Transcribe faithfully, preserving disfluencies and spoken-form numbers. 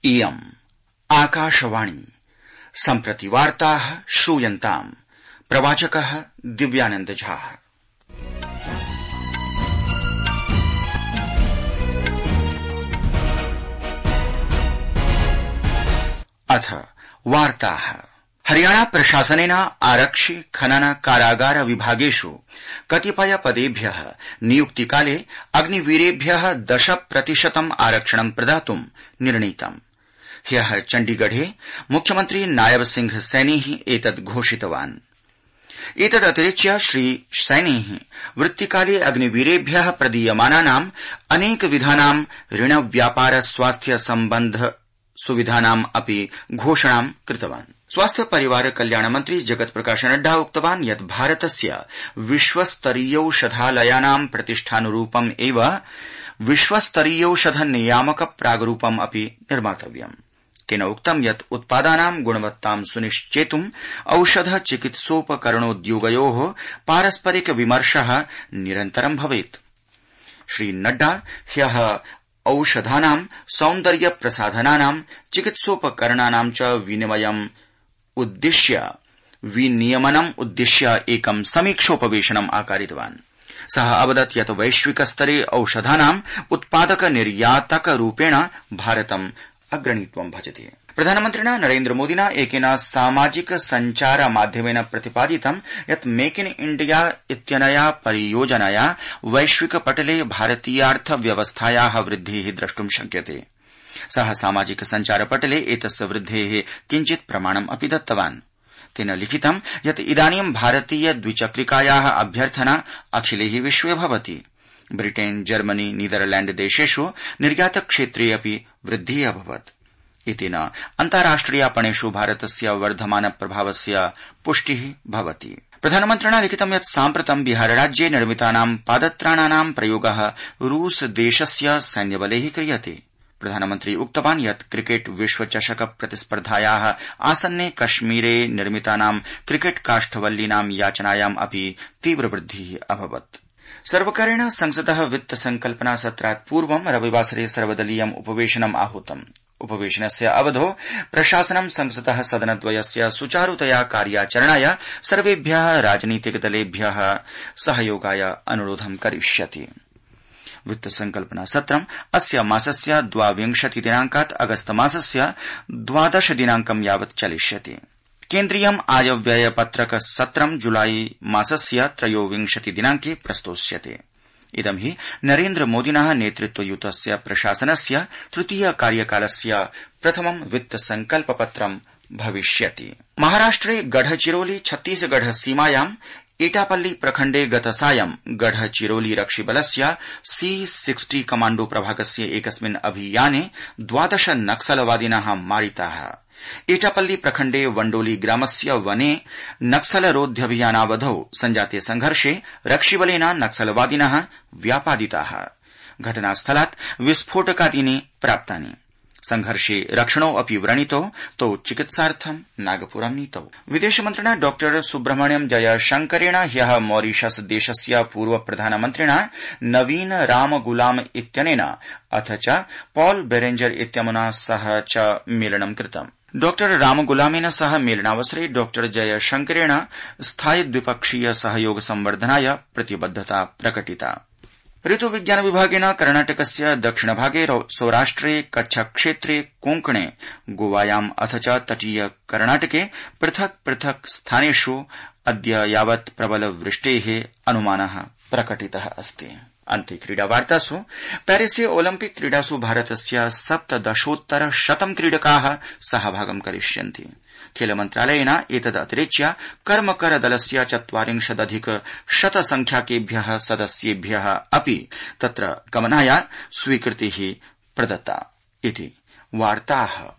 इयम् आकाशवाणी सम्प्रति वार्ताः श्रूयन्ताम्। प्रवाचकः दिव्यानन्द झा। अथ वार्ताः। हरियाणा प्रशासनेन आरक्षि खनन कारागार विभागेषु कतिपय पदेभ्यः नियुक्तिकाले अग्निवीरेभ्यः दश प्रतिशतम् आरक्षणं प्रदातुं निर्णीतम्। ह्यः चण्डीगढे मुख्यमन्त्री नायब सिंह सैनी एतद् घोषितवान्। एतदतिरिच्य श्री सैनी वृत्तिकाले अग्निवीरेभ्यः प्रदीयमानानाम् अनेकविधानां ऋण व्यापार स्वास्थ्य सम्बन्ध सुविधानाम् अपि घोषणां कृतवान्। स्वास्थ्य परिवार कल्याण मंत्री जगत प्रकाश नड्डा उक्तवान् यत् भारतस्य विश्वस्तरीयौषधालयानां प्रतिष्ठानुरूपम् एव विश्वस्तरीयौषध नियामक प्रागरूपम् अपि निर्मातव्यम्। तेन उक्तं यत् उत्पादानां गुणवत्तां सुनिश्चेतुं औषध चिकित्सोपकरणोद्योगयोः पारस्परिक विमर्शः निरन्तरं भवेत्। श्री नड्डा ह्यः औषधानां सौन्दर्य प्रसाधनानां चिकित्सोपकरणानां च विनिमयम् उद्दिश्य विनियमनम् उद्दिश्य एकं समीक्षोपवेशनम् आकारितवान्। सः अवदत् यत् वैश्विक स्तरे औषधानाम् उत्पादक निर्यातक रूपेण भारतम् अग्रणीत्वं भजते। प्रधानमन्त्रिणा नरेन्द्र मोदिना एकेन सामाजिक सञ्चार माध्यमेन प्रतिपादितं यत् मेक इन इण्डिया इत्यनया परियोजनया वैश्विक पटले भारतीयार्थव्यवस्थायाः वृद्धिः द्रष्टुं शक्यते। सः सामाजिक सञ्चार पटले एतस्य वृद्धेः किञ्चित् प्रमाणम् अपि दत्तवान्। तेन लिखितं यत् इदानीं भारतीय द्विचक्रिकायाः अभ्यर्थना अखिले विश्वे भवति। ब्रिटेन, जर्मनी, नीदरलैण्ड देशेषु निर्यातक्षेत्रे अपि वृद्धिः अभवत्। इतेन अन्ताराष्ट्रियापणेषु भारतस्य वर्धमान प्रभावस्य पुष्टिः भवति। प्रधानमन्त्रिणा लिखितं यत् साम्प्रतं बिहारराज्ये निर्मितानां पादत्राणानां प्रयोगः रूस देशस्य सैन्यबलैः क्रियते। प्रधानमन्त्री उक्तवान् यत् क्रिकेट विश्वचषक प्रतिस्पर्धायाः आसन्ने कश्मीरे निर्मितानां क्रिकेट काष्ठवल्लीनां याचनायाम् अपि तीव्रवृद्धिः अभवत्। सर्वकारेण संसदः वित्त संकल्पना सत्रात् पूर्वं रविवासरे सर्वदलीयम् उपवेशनम् आहूतम्। उपवेशनस्य अवधौ प्रशासनं संसदः सदनद्वयस्य सुचारुतया कार्याचरणाय सर्वेभ्यः राजनीतिकदलेभ्यः सहयोगाय अनुरोधं करिष्यति। वित्त संकल्पना सत्रम् अस्य मासस्य द्वाविंशति दिनांकात् अगस्त मासस्य द्वादश दिनांकं यावत् चलिष्यति। केन्द्रीयम् आयव्ययपत्रक सत्रं जुलाई मासस्य त्रयोविंशति दिनांके प्रस्तोष्यते। इदं हि नरेन्द्र मोदिनः नेतृत्वयुतस्य प्रशासनस्य तृतीय कार्यकालस्य प्रथमं वित्त संकल्पपत्रं भविष्यति। महाराष्ट्रे गढ़चिरोली छत्तीसगढ़ सीमायाम् एटापल्ली प्रखण्डे गतसायं गढ़चिरोली रक्षिबलस्य सी सिक्सटी कमाण्डो प्रभागस्य एकस्मिन् अभियाने द्वादश नक्सलवादिनः मारिताः। एटापल्ली प्रखण्डे वण्डोली ग्रामस्य वने नक्सलरोध्यभियानावधौ सञ्जाते संघर्षे रक्षिबलेन नक्सलवादिनः व्यापादिताः। घटनास्थलात् विस्फोटकादीनि प्राप्तानि। संघर्षे रक्षणौ अपि व्रणितौ, तौ चिकित्सार्थं नागपुरं नीतौ। विदेशमन्त्रिणा डॉ सुब्रह्मण्यम जयशंकरेण ह्यः मॉरीशस देशस्य पूर्व प्रधानमन्त्रिणा नवीन रामगुलाम इत्यनेन अथ च पॉल बेरेंजर इत्यमुना सह च मेलनं कृतम्। डॉ रामगुलामेन सह मेलनावसरे डॉ जयशंकरेण स्थायि द्विपक्षीय सहयोग संवर्धनाय प्रतिबद्धता प्रकटिता। ऋतुविज्ञान विभागेन कर्णाटकस्य दक्षिणभागे सौराष्ट्रे कच्छक्षेत्रे कोंकणे गोवायाम् अथ च तटीय कर्णाटके पृथक् पृथक् स्थानेषु अद्य यावत् प्रबल वृष्टेः अनुमानः प्रकटितः अस्ति। अन्ते क्रीडावार्तासु पेरिसे ओलम्पिक क्रीडासु भारतस्य सप्तदशोत्तर शतं क्रीडकाः सहभागं करिष्यन्ति। खेल मन्त्रालयेन एतदतिरिच्य कर्मकर दलस्य चत्वारिंशदधिक शत संख्याकेभ्यः सदस्येभ्यः अपि तत्र गमनाय स्वीकृतिः प्रदत्ता इति वार्ताः।